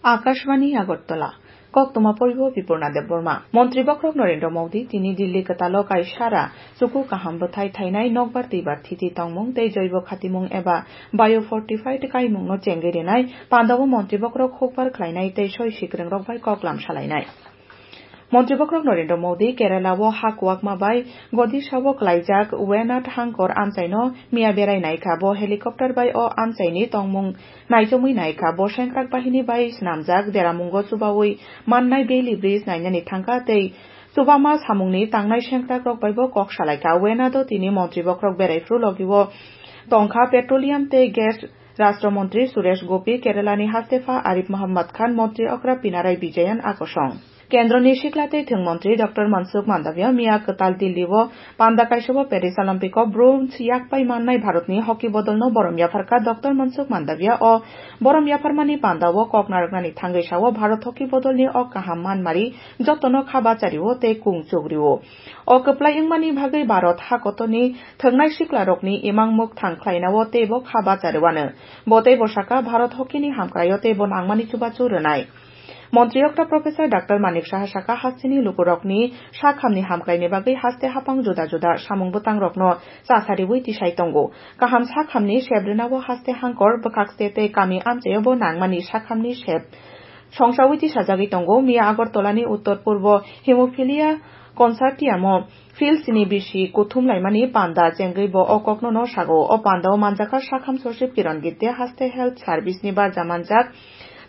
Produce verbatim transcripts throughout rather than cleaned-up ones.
Akashvani Agartala. Koktwma poibo Bipurna Debbarma. Montri bokhorok Narendra Modi tini Delhi kwtalo kaisara chuku kaham bwthai thainai nokbar twibar thiti tongmung tei joibo khatimung eba biofortified kaimungno chengwi rinai pandao montri bokhorok hukbar khlainai tei soi sikwrwngrok bai koklam salainai. Montri bokhorok Narendra Modi Kerala o ha kwakma bai Godisha o klaijak Wayanad hangkor amchaino miya berai naikha. Bo helicopter bai o amchaini tongmung naichomwi naikha. Bo sengkrak bahini bai swnamjak deramungo chubawi mannai Bailey Bridge nainani thangkha tei chubama samungni tangnai sengkrakrok baibo kok salaikha. Wayanad o tini montri bokhorok berai phuru logi o tongkha Petroleum tei Gas Rashtra Montri Suresh Gopi, Kerala ni Hastepha Arif Muhammad Khan, Montri okra Pinarayi Vijayan akosong. Kendroni sikla tei thwng montri Doctor Mansukh Mandavia miya kwtal Delhi o panda kaisa o Paris Olympic o bronze yak pai mannai Bharatni hockey bodolno borom yapharkha. Doctor Mansukh Mandavia o borom yapharmani panda o kok narwknani thangwi sao Bharat hockey bodolni o kaham manmari jotono kha bachario tei kung chugrio. O kwplai wngmani bagwi Bharat hakotorni thwngnai siklarokni imang mwkthang khlainao teibo kha bachario ano. Bo teibo saka Bharat hockey ni hamkraio teibo nangmani chubachu rwnai. Montri okra Professor Doctor Manik Saha saka, hasteni lukurokni sakhamni hamkraini bagwi haste hapang juda juda samung bwtangrokno chasariwi tisai tongo. Kaham sakhamni sep rwnao haste hangkor, bwkhakste tei kami amchaiobo nangmani sakhamni sep songsawi tisajagwi tongo. Miya Agartala ni Uttor Purbo Hemophilia Consortium o Phil sini bisi kuthum laimani panda chengwi bo o kokno no sago. O panda o manjakha sakham sochib Kiran Gite, haste health service ni barja manjak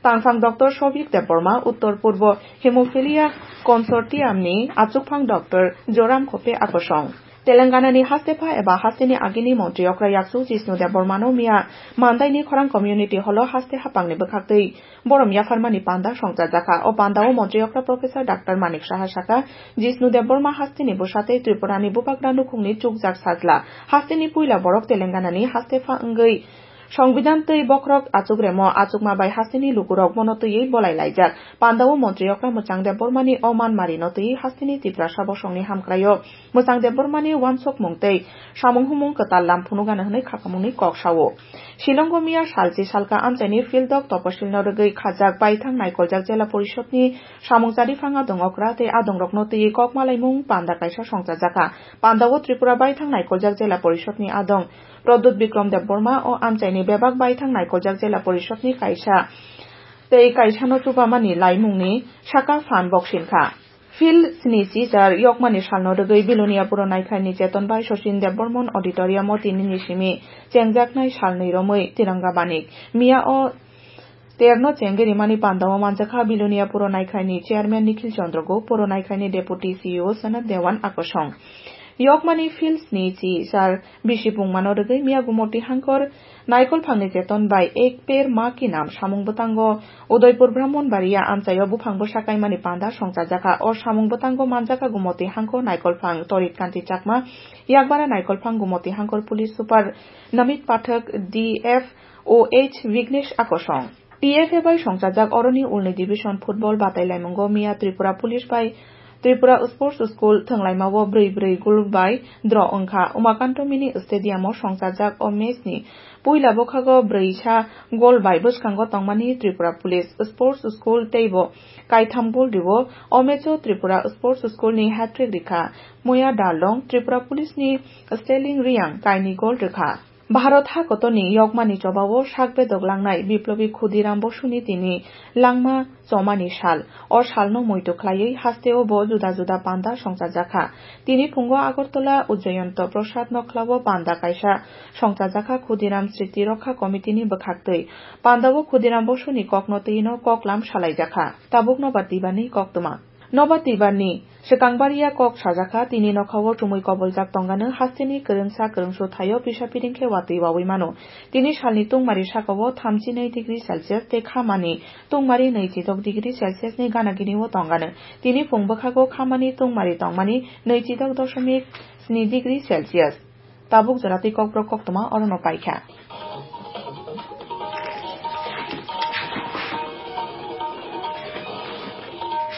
tangphang Doctor Sobhik Debbarma, Uttor Purbo Hemophilia Consortium ni achukphang Doctor Joram Khope akosong. Telangana ni hastepha eba hasteni agini montri okra yakchu Jishnu Debbarma no miya Mandai ni khorang community hall o haste hapang ni bwkhaktwi borom yapharmani panda songchajakha. O panda o montri okra Professor Doctor Manik Saha saka, Jishnu Debbarma hasteni bwsa tei Tripura ni bubagra nukhungni chukjak sajla. Hasteni puila borok Telangana ni hastepha wngwi Songbidan twi bokhorok achukremo achukma bai hasteni lukurok bono twiwi bolai laijak. Panda o montri okra Mwchang Debbarma ni o manmari no twiwi hasteni Tiprasa bosongni hamkraio Mwchang Debbarma ni uansukmung tei samung humung kwtal lam phunukgano hwnwi khakamungni kok sao. Shillongo miya salchi salka amchaini Phil Dok Toposilno rwgwi khajak baithang naikoljak Jela Porishodni samung chariphang adong okra tei adongrokno twiwi kok malaimung panda kaisa songchajakha. Pandao Tripura baithang naikoljak Jela Porishodni adong Pradyut Bikram Debbarma o amchaini bebak baithang naikoljak Jela Porishodni kaisa tei kaisano chubamani laimungni saka phan boksinkha. Phil sni chichar yokmani salno rwgwi Bilonia Puro Naikhlaini Cheton bai Sachin Debbarman Auditorium o tinini simi chengjaknai salnwi romwi Tiranga Banik. Miya o terno chengwi rimani pandao manjakha Bilonia Puro Naikhlaini Chairman Nikhil Chandra Gup, Puro Naikhlaini Deputy C E O Sanat Dewan akosong. Yokmani Phil sni chichar bisi pungmano rwgwi miya Gumoti hangkor Naikolphangni Cheton bai Ek Ped Maa Ki Naam samung bwtango Udaipur Brahmanbaria amchaio buphang bwsa kaimani panda songchajakha. O samung bwtango manjakha Gumoti hangkor Naikolphang Torit Kanti Chakma, Yakbara Naikolphang Gumoti hangkor Police Super Namit Pathak, D F O H Vignesh akosong. T F A bai songchajak oroni ulni division football batailaimungo miya Tripura Police bai Tripura Sports School thwnglaimao brwi brwi goal bai draw wngkha. Umakanto Mini Stadium o songchajak o match ni puila bwkhago brwisa goal bai bwskango tongmani Tripura Police. Sports School teibo kaitham goal rio. O match o Tripura Sports School ni hat-trick rikha Moya Darlong, Tripura Police ni Sterling Reang kainwi goal rwkha. Bharat hakotorni yokmani chobao sak bedok langnai Biplobi Khudiram Bosuni tini langma chomani sal. O salno muitu khlaiwi hasteo bo juda juda panda songchajakha. Tini phungo Agartala Ujjayanta Prasad Nokhlao panda kaisa songchajakha Khudiram Sriti Rokha Committee ni bwkhaktwi. Pandao Khudiram Bosuni kokno twino koklam salaijakha. Tabuk Nobar Twibarni koktwma. Nobar Twibarni swkang baria kok sajakha, tini nokhao chumui koboljak tongano hasteni kwrwngsa kwrwngsu thaio pisa piring khe watwi wawi mano. Tini salni tungmari sakao thamchi nai degree Celsius tei khamani tungmari naichidok degree Celsius ni gana gini o tongano. Tini phung bwkhago khamani tungmari tongmani naichidok doshomik sni degree Celsius. Tabuk jora twi kokborok koktwma orono paikha.